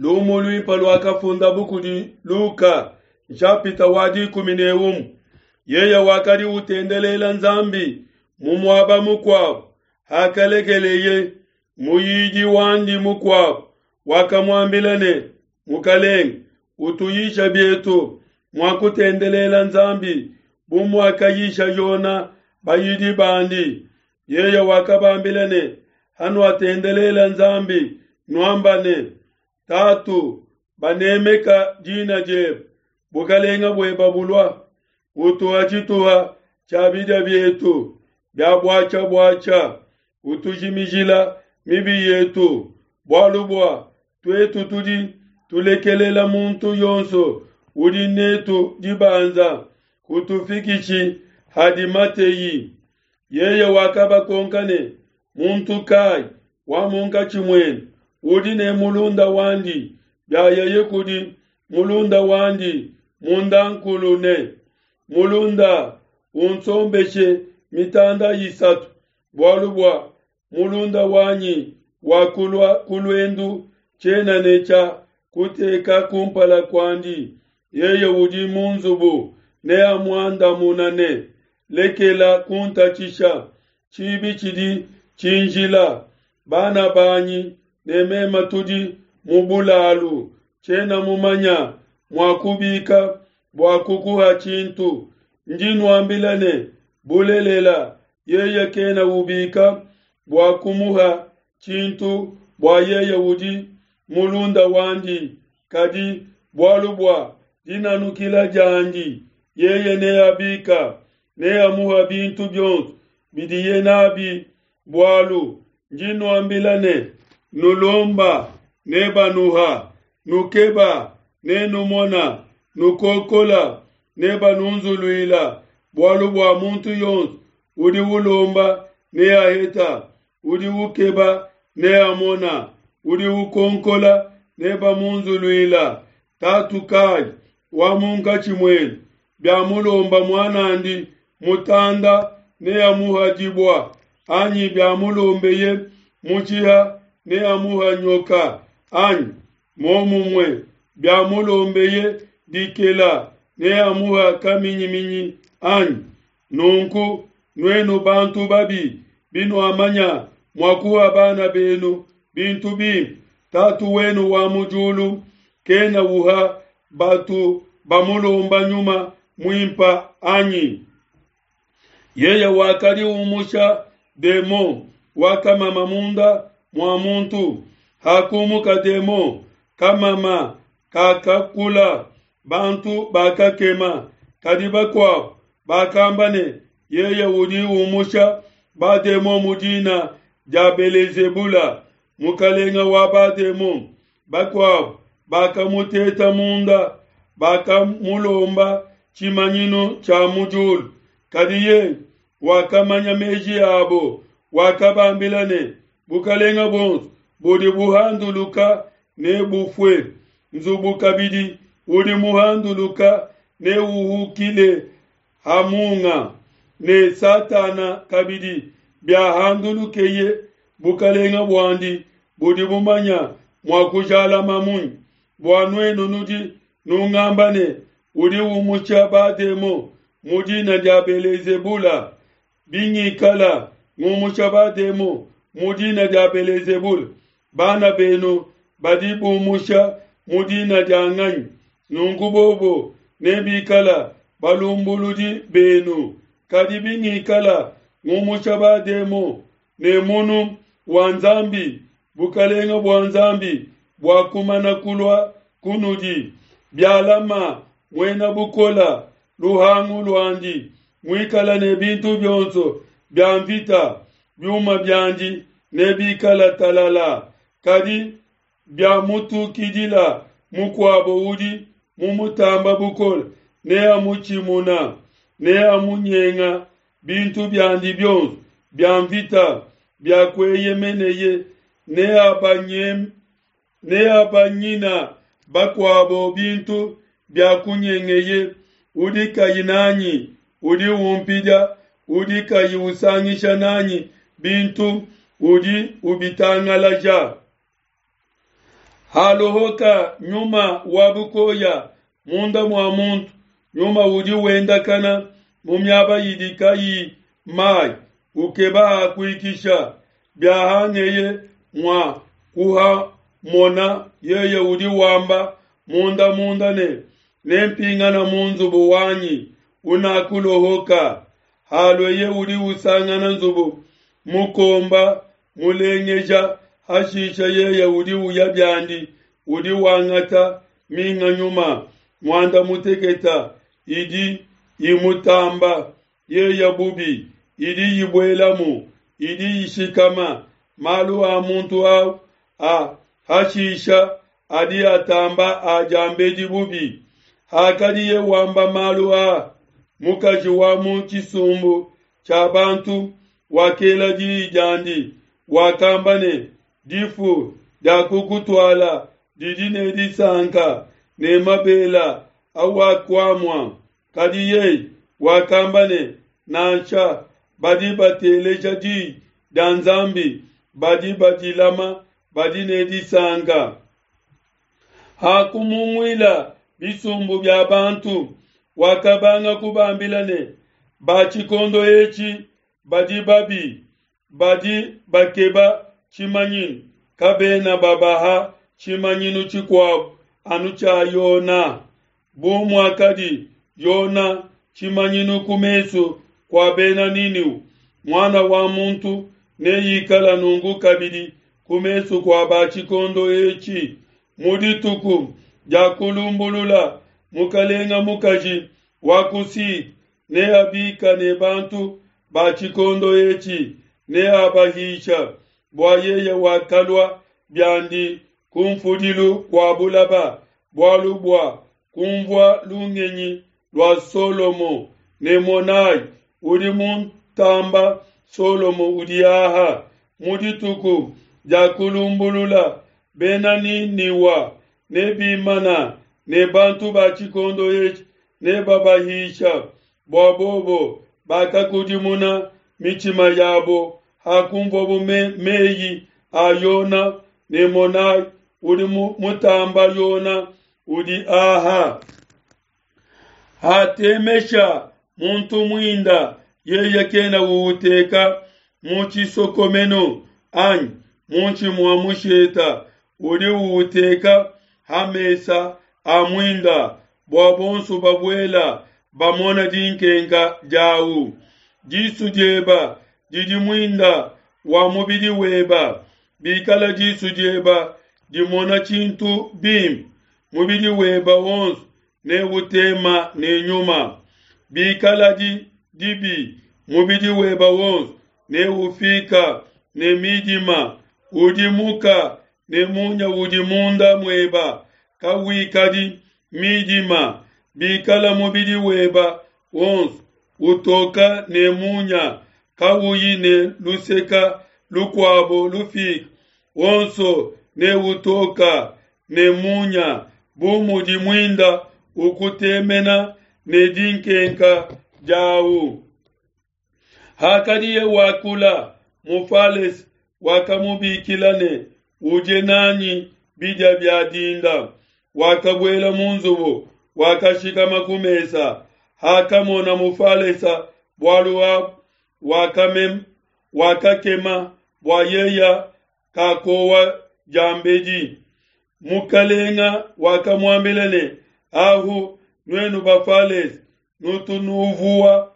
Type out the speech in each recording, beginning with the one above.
Lumu luimpe luakafundabu kudi Luka, nshapita wa 11. Yeye wakadi utendelela Nzambi mu muaba mukuabo, hakalekeleye muyidi wandi mukuabo wakamuambila ne, Mukalenge, utuyisha bietu mua kutendelela Nzambi bu muakayisha Yona bayidi bandi. Yeye wakabambila ne, Hanuatendelela Nzambi, nuamba ne, Tatu, banemeka dina diebe, bukalenga bueba bulua, utuha tshituha tshia bidia bietu bia buatshia-buatshia, utujimijila mibi yetu, bualu bua tuetu tudi tulekelela muntu yonso udi netu dibanza, kutufikishi hadi mateyi. Yeye wakabakonka ne, Muntu kai wa munkatshi muenu udi ne mulunda wandi, biayeye kudi mulunda wandi mundankulu ne, Mulunda, unsombeshe mitanda isatu, bualu bua mulunda wanyi wakulua ku luendu, tshiena ne tshia kuteka kumpala kuandi. Yeye udi mu nzubu neamuandamuna ne, Lekela kuntatshisha, tshibi tshidi tshinjila, bana banyi ne mema tudi mu bulalu, tshiena mumanya mua kubika bua kukuha tshintu. Ndi nuambila ne, Bulelela, yeye kena ubika bua kumuha tshintu bua yeye udi mulunda wandi, kadi bualu bua dinanukila diandi yeye neabika, neamuha bintu bionso bidiye n'abi bualu. Ndi nuambila ne, Nulomba, nebanuha, nukeba, nenumona, nukokola, nebanunzuluila. Bualu bua muntu yonso udi ulomba neaheta, udi ukeba neamona, udi ukonkola nebamunzuluila. Tatu kai wa munkatshi muenu, biamulomba muan'andi mutanda, neamuha dibua, anyi biamulombeye mutshiha, neamuha nyoka, anyi? Momumue, biamulombeye dikela, neamuha kaminyiminyi, anyi? Nunku, nuenu bantu babi, binuamanya mua kuha bana benu bintu bimpe, Tatu wenu wa mu diulu kena uha batu bamulomba Nyuma Muimpe, anyi? Yeye wakadi umusha demon wakamama munda mua muntu. Hakumuka demon, kamama kakakula, bantu bakakema. Kadi bakuabo bakamba ne, Yeye udi umusha bademon mu dina dia Belezebula, mukalenga wa bademon. Bakuabo bakamuteta munda, bakamulomba tshimanyinu tshia mu diulu. Kadi yeye wakamanya meji abo, wakabambila ne, Bukalenga buonso budi buhanduluka nebufue, nzubu kabidi udi muhanduluka neuhukile ha munga, ne Satana kabidi biahandulukeye, bukalenga buandi budi bumanya mua kujalama munyi? Bua nuenu nudi nungamba ne, Udi umusha bademon mu dina dia Belezebula. Bingikala ngumusha bademon mu dina dia Belezebula, bana benu badi bumusha mu dina dia nganyi? Nunku bobo nebikala balumbuludi benu. Kadi bingikala ngumusha bademon ne munu wa Nzambi, bukalenga bua Nzambi buakumana kulua kunudi. Bialama muena bukola luhangu luandi, muikala ne bintu bionso bia mvita, biuma biandi nebikala talala. Kadi biamutukidila mukuabo udi mumutamba bukole, neamutshimuna, neamunyenga bintu biandi bionso bia mvita bia kueyemeneye, neabanyina bakuabo bintu bia kunyengeye. Udi kayi nanyi udi umpidia, udi kayi usangisha nanyi bintu udi ubitangalaja. Halohoka nyuma wa bukoya munda mua muntu, nyuma udi wendakana mu miaba idi kayi mai, ukeba ha kuikisha. Biahangeye mua kuhamona, yeye udi wamba munda munda ne, Nempingana mu nzubu wanyi unakulohoka. Halueye udi usangana nzubu mukomba mulengeja, hashisha yeye udi uya biandi, udi wangata minga nyuma muanda mutekete idi imutamba yeye bubi, idi ibuelamu, idi ishikama. Malu a muntu au a hashisha adi atamba a diambedi bubi. Hakadiye wamba malu a, mukaji wa mu tshisumbu tshia bantu wakela diyi diandi, wakamba ne, Difu diakukutuala didi ne disanka, ne mabela awakuamua. Kadi yeye wakamba ne, Nansha, badi bateleja diyi dia Nzambi, badi badilama, badi ne disanka. Hakumunguila bisumbu bia bantu, wakabanga kubambila ne, Ba tshikondo etshi badi babi, badi bakeba tshimanyinu, kabena babaha tshimanyinu tshikuabo anu tshia Yona. Bu muakadi Yona tshimanyinu ku mesu kua Bena Niniwe, Muana wa muntu neikala nunku kabidi ku mesu kua ba tshikondo etshi. Mu dituku dia kulumbulula, mukalenga mukaji wa ku Sud neabika ne bantu ba tshikondo etshi, neabahisha, bua yeye wakalua biandi kunfudilu kua bulaba, bualu bua kunvua lungenyi lua Solomo, ne monai, udi muntamba Solomo udi aha. Mu dituku dia kulumbulula, Bena Niniwa nebimana ne bantu ba tshikondo etshi, nebabahisha, bua bobo bakakudimuna mitshima yabo hakunvuabo meyi a Yona, ne monai, udi mutamba Yona udi aha. Hatemesha muntu muinda, yeye kena uuteka mu tshisokomenu anyi muinshi mua musheta, udi uuteka ha mesa a muinda, bua bonso babuela bamona dinkenka diau. Disu dieba didi muinda wa mubidi weba. Bikala disu dieba dimona tshintu bimpe, mubidi weba wonso neutema ne nyuma. Bikaladi dibi, mubidi weba wonso neufika ne midima. Udimuka ne munya udi munda mueba kawikadi midima. Bikala mubidi weba wonso utoka ne munya, kawuyi ne luseka lukuabo lufika, wonso neutoka ne munya, bu mudi muinda ukutemena ne dinkenka diawu. Hakadiye wakula, Mufalese wakamubikila ne, Udie nanyi bidia bia dinda. Wakabuela mu nzubu, wakashikama ku mesa. Hakamona Mufalese bualu abu, wakakema bua yeya kakowa diambedi. Mukalenga wakamuambila ne, Ahu nuenu Bafalese nutu nuvuwa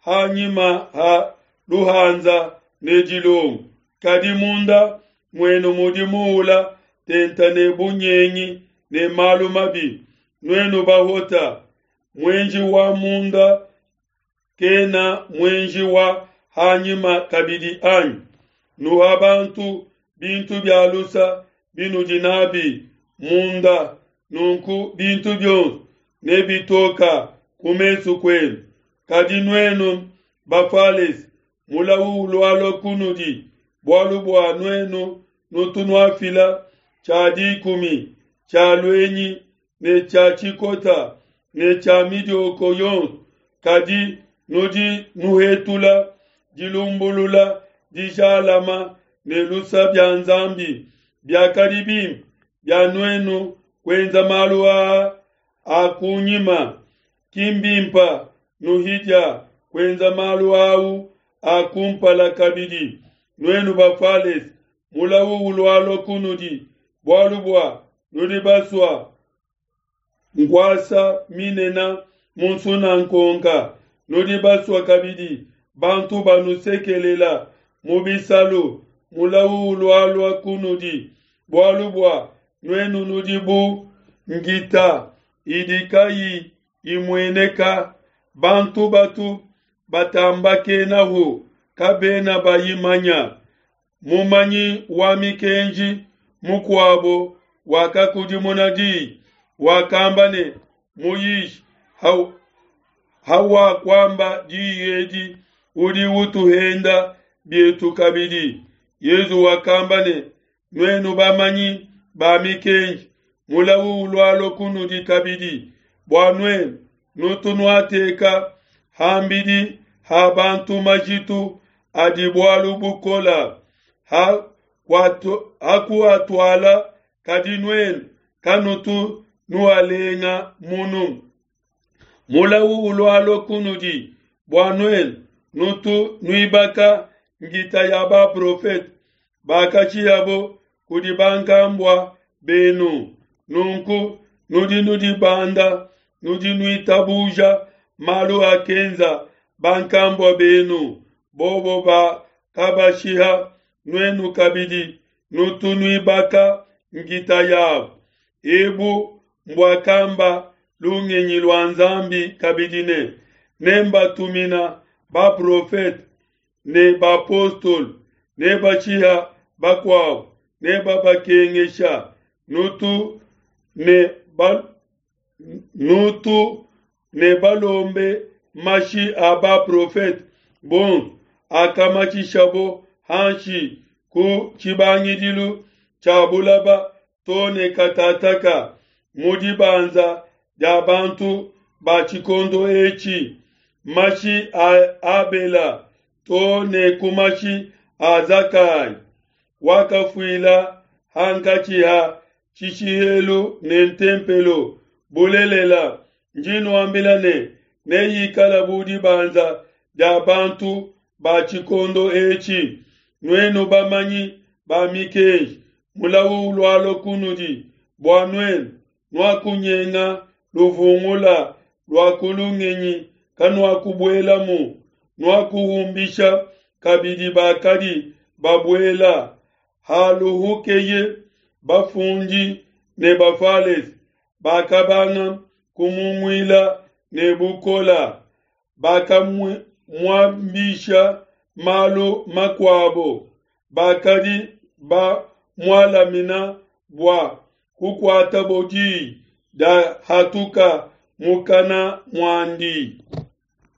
hanyima ha luhanza ne dilongo, kadi munda muenu mudi muula tenta ne bunyengi ne malu mabi. Nuenu bahota, muenji wa munda kena muenji wa hanyima kabidi anyi? Nuha bantu bintu bia lusa binudi nabi munda, nunku bintu bionso nebitoka ku mesu kuenu. Kadi nuenu Bafalese, mulawu ulualua kunudi, bualu bua nuenu nutu nuafila tshia dikumi tshia luenyi ne tshia tshikota ne tshia midioko yonso, kadi nudi nuhetula dilumbulula dijalama ne lusa bia Nzambi. Biakadi bimpe. bia nuenu kuenza malu aa a kunyima, ki mbimpa nuhidia kuenza malu au a kumpala kabidi. Nuenu Bafalese, mulawu ulualua kunudi, bualu bua nudi basua nkuasa minena mu nsunankonka, nudi basua kabidi bantu banusekelela mu bisalu. Mulawu ulualua kunudi, bualu bua nuenu nudi bu nkita idi kayi imueneka, bantu batu batambakenahu kabena bayimanya. Mumanyi wa mikenji mukuabo wakakudimuna diyi, wakamba ne, Muyishi, hawakuamba diyi edi, udi utuhenda bietu kabidi. Yezu wakamba ne, Nuenu bamanyi ba mikenji, mulawu ulualua kunudi kabidi, bua nuenu nutu nuateka hambidi ha bantu majitu adi bualu bukola ha kuatuala, kadi nuenu kanutu nualenga munu. Mulawu ulualua kunudi, bua nuenu nutu nuibaka nkita ya baprofete bakashihabo kudi bankambua benu. Nunku nudi nudibanda, nudi nuitabuja malu akenza bankambua benu, bobo bakabashiha, nuenu kabidi nutu nuibaka nkita yabo. Ebu mbuakamba lungenyi lua Nzambi kabidi ne, nembatumina baprofete ne bapostolo, nebashiha bakuabo, nebabakengesha. Nutu ne balombe mashi a baprofete bonso akamatshishabo hanshi ku tshibangidilu tshia bulaba to ne katataka mu dibanza dia bantu ba tshikondo etshi, mashi a Abela to ne ku mashi a Zakayi, wakafuila hankatshi ha tshishihelu ne ntempelo. Bulelela, ndi nuambila ne, neyikala bu dibanza dia bantu ba tshikondo etshi. Nuenu bamanyi ba mikenji, mulawu ulualua kunudi, bua nuenu nuakunyenga luvungula lua ku lungenyi, kanuakubuelamu, nuakuhumbisha kabidi bakadi babuela. Haluhukeye bafundi ne Bafalese bakabanga kumunguila ne bukola, bakamuambisha malu makuabo, bakadi bamualamina bua kukuatabo diyi dia hatuka mukana muandi.